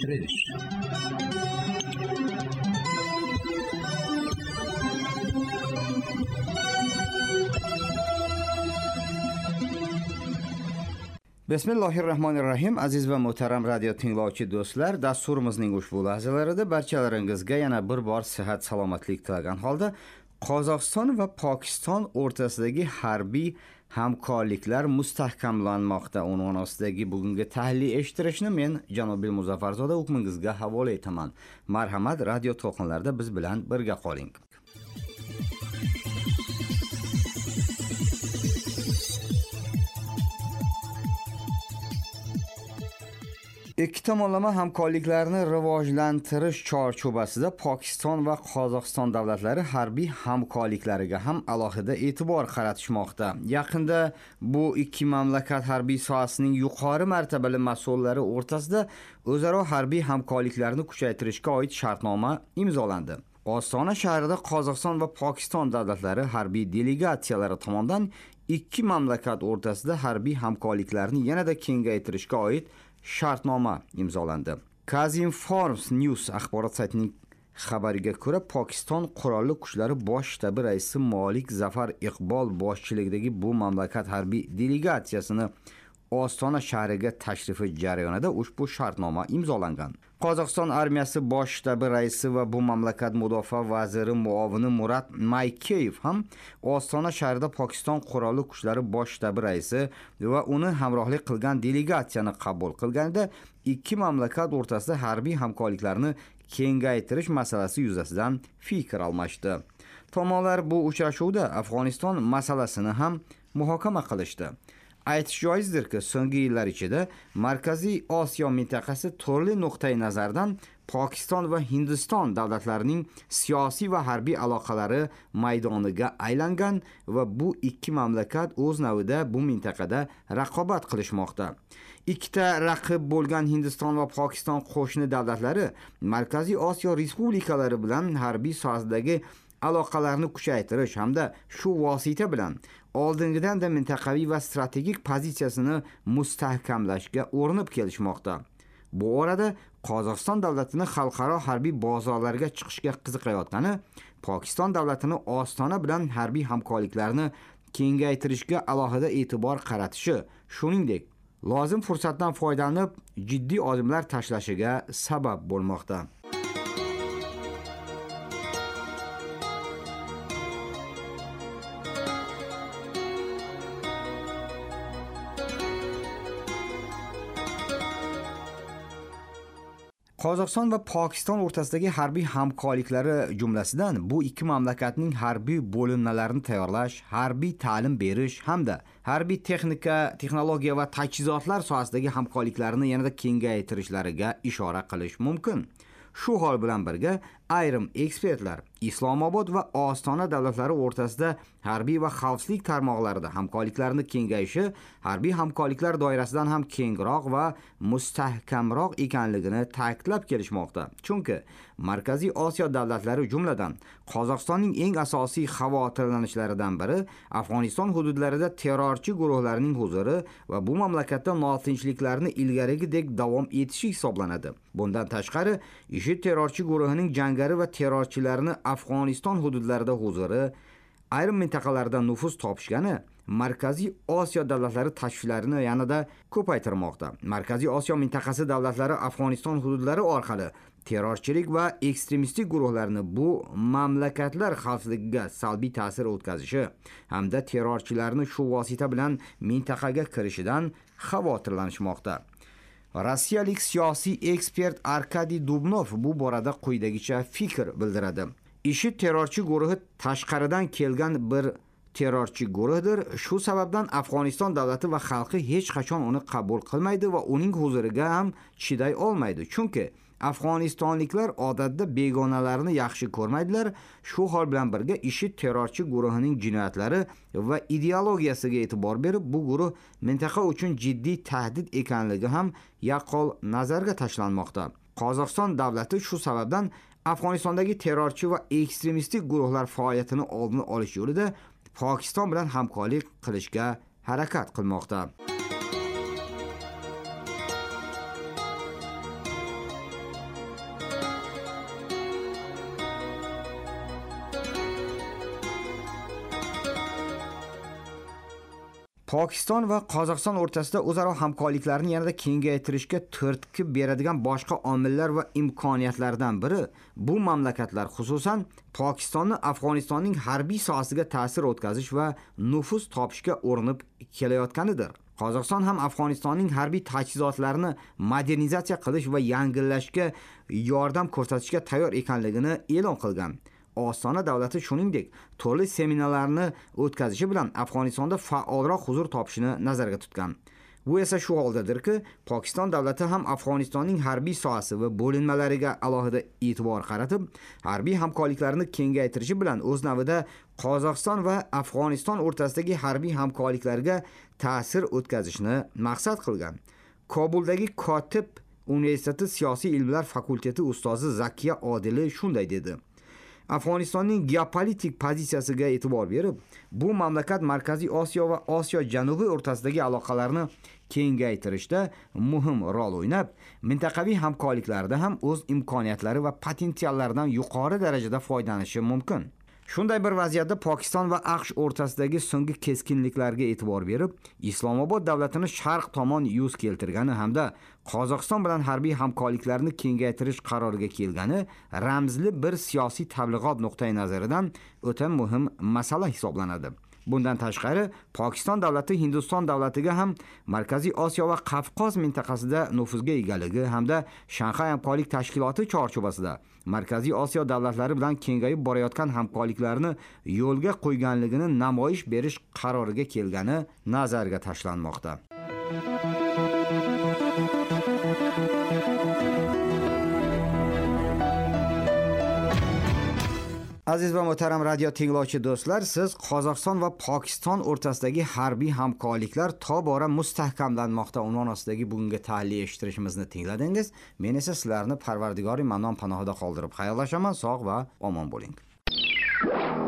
Eshtirish. Bismillahirrahmanirrahim. Aziz va muhtaram radio tinglovchi do'stlar, dasturimizning ushbu lahzalarida barchalaringizga yana bir bor sihat salomatlik tilagan holda Qozog'iston va Pokiston o'rtasidagi harbiy hamkorliklar mustahkamlanmoqda unvoni ostidagi bugungi tahliliy eshittirishni men Janobil Muzaffarzoda hukmingizga havola etaman. Marhamat, radio to'lqinlarida biz bilan birga qoling. Ikki tomonlama hamkorliklarni rivojlantirish chorchobasida Pokiston va Qozog'iston davlatlari harbiy hamkorliklariga ham alohida e'tibor qaratishmoqda. Yaqinda bu ikki mamlakat harbiy sohasining yuqori martabali mas'ullari o'rtasida o'zaro harbiy hamkorliklarni kuchaytirishga oid shartnoma imzolandi. Ostona shahrida Qozog'iston va Pokiston davlatlari harbiy delegatsiyalari tomonidan ikki mamlakat o'rtasida harbiy hamkorliklarni yanada kengaytirishga oid shartnoma imzolandi. Kazinform News axborot saytining xabariga ko'ra, Pokiston Qurolli Kuchlari bosh shtabi raisi Molik Zafar Iqbol boshchiligidagi bu mamlakat harbiy delegatsiyasini Ostona shahriga tashrifi jarayonida ushbu shartnoma imzolangan. Qozog'iston armiyasi bosh shtabi raisi va bu mamlakat mudofaa vaziri muovini Murat Maykeyev ham Ostona shahrida Pokiston Qurolli Kuchlari bosh shtabi raisi va uni hamrohlik qilgan delegatsiyani qabul qilganida ikki mamlakat o'rtasida harbiy hamkorliklarni kengaytirish masalasi yuzasidan fikr almashdi. Tomonlar bu uchrashuvda Afg'oniston masalasini ham muhokama qilishdi. Aytish joizdirki, so'nggi yillar ichida Markaziy Osiyo mintaqasi turli nuqtai nazardan Pokiston va Hindiston davlatlarining siyosiy va harbiy aloqalari maydoniga aylangan va bu ikki mamlakat o'z navida bu mintaqada raqobat qilishmoqda. Ikkita raqib bo'lgan Hindiston va Pokiston qo'shni davlatlari Markaziy Osiyo respublikalari bilan harbiy sohadagi aloqalarni kuchaytirish hamda shu vosita bilan oldingidan-da mintaqaviy va strategik pozitsiyasini mustahkamlashga urinib kelishmoqda. Bu orada Qozog'iston davlatini xalqaro harbiy bozorlarga chiqishga qiziqayotgani, Pokiston davlatini Ostona bilan harbiy hamkorliklarni kengaytirishga alohida e'tibor qaratishi, shuningdek, lozim fursatdan foydalanib jiddiy odimlar tashlashiga sabab bo'lmoqda. Qozog'iston va Pokiston o'rtasidagi harbiy hamkorliklari jumlasidan bu ikki mamlakatning harbiy bo'linmalarini tayyorlash, harbiy ta'lim berish hamda harbiy texnika, texnologiya va tajhizotlar sohasidagi hamkorliklarni yanada kengaytirishlariga ishora qilish mumkin. Shu hol bilan birga ayrim ekspertlar Islomobod va Ostona davlatlari o'rtasida harbiy va xavfsizlik tarmoqlarida hamkorliklarni kengayishi harbiy hamkorliklar doirasidan ham kengroq va mustahkamroq ekanligini ta'kidlab kelishmoqda. Chunki Markaziy Osiyo davlatlari, jumladan Qozog'istonning eng asosiy xavotirlanishlaridan biri Afg'oniston hududlarida terrorchi guruhlarning huzuri va bu mamlakatda notinchliklarni ilgarigidek davom etishi hisoblanadi. Bundan tashqari, IShID terrorchi guruhining jangari va terrorchilarni Afg'oniston hududlarida huzuri, ayrim mintaqalarda nufuz topishgani Markaziy Osiyo davlatlari tashvishlarini yanada ko'paytirmoqda. Markaziy Osiyo mintaqasi davlatlari Afg'oniston hududlari orqali terrorchilik va ekstremistik guruhlarni bu mamlakatlar xavfsizligiga salbiy ta'sir o'tkazishi hamda terrorchilarni shu vosita bilan mintaqaga kirishidan xavotirlanishmoqda. Rossiyalik siyosiy ekspert Arkadiy Dubnov bu borada quyidagicha fikr bildiradi. IShID terrorchi guruhi tashqaridan kelgan bir terrorchi guruhdir. Shu sababdan Afg'oniston davlati va xalqi hech qachon uni qabul qilmaydi va uning huzuriga ham chiday olmaydi. Chunki afg'onistonliklar odatda begonalarni yaxshi ko'rmaydilar. Shu hol bilan birga IShID terrorchi guruhining jinoyatlari va ideologiyasiga e'tibor berib, bu guruh mintaqa uchun jiddiy tahdid ekanligi ham yaqqol nazarga tashlanmoqda. Qozog'iston davlati shu sababdan Afg'onistondagi terrorchi va ekstremistik guruhlar faoliyatini oldini olish yo'lida Pokiston bilan hamkorlik qilishga harakat qilmoqda. Pokiston va Qozog'iston o'rtasida o'zaro hamkorliklarni yanada kengaytirishga turtki beradigan boshqa omillar va imkoniyatlardan biri bu mamlakatlar, xususan Pokistonni Afg'onistonning harbiy sohasiga ta'sir o'tkazish va nufuz topishga urinib kelayotganidir. Qozog'iston ham Afg'onistonning harbiy tajhizotlarini modernizatsiya qilish va yangilashga yordam ko'rsatishga tayyor ekanligini e'lon qilgan. Ostona davlati shuningdek turli seminarlarni o'tkazishi bilan Afg'onistonda faolroq huzur topishini nazarda tutgan. Bu esa shu holdadirki, Pokiston davlati ham Afg'onistonning harbiy sohasi va bo'linmalariga alohida e'tibor qaratib, harbiy hamkorliklarni kengaytirishi bilan o'z navbatida Qozog'iston va Afg'oniston o'rtasidagi harbiy hamkorliklarga ta'sir o'tkazishni maqsad qilgan. Kobuldagi Kotib universiteti siyosiy ilmlar fakulteti ustozi Zakiya Odili shunday dedi: Afg'onistonning geopolitik pozitsiyasiga e'tibor berib, bu mamlakat Markaziy Osiyo va Osiyo Janubi o'rtasidagi aloqalarni kengaytirishda muhim rol o'ynab, mintaqaviy hamkorliklarda ham o'z imkoniyatlari va potensiallaridan yuqori darajada foydalanishi mumkin. Shunday bir vaziyatda Pokiston va AQSh o'rtasidagi so'nggi keskinliklarga e'tibor berib, Islomobod davlatini sharq tomon yuz keltirgani hamda Qozog'iston bilan harbiy hamkorliklarni kengaytirish qaroriga kelgani ramzli bir siyosiy tabliğot nuqtai nazaridan o'ta muhim masala hisoblanadi. Bundan tashqari, Pokiston davlati Hindiston davlatiga ham Markaziy Osiyo va Qafqoz mintaqasida nufuzga egaligi hamda Shanxay hamkorlik tashkiloti chorchuvasida Markaziy Osiyo davlatlari bilan kengayib borayotgan hamkorliklarni yo'lga qo'yganligini namoyish berish qaroriga kelgani nazarga tashlanmoqda. Aziz va muhtaram radio tinglovchi do'stlar, siz Qozog'iston va Pokiston o'rtasidagi harbiy hamkorliklar tobora mustahkamlanmoqda unvon ostidagi bugungi tahlil eshittirishimizni tingladingiz. Men esa sizlarni Parvardigori Mannon panohida qoldirib xayrlashaman. Sog' va omon bo'ling.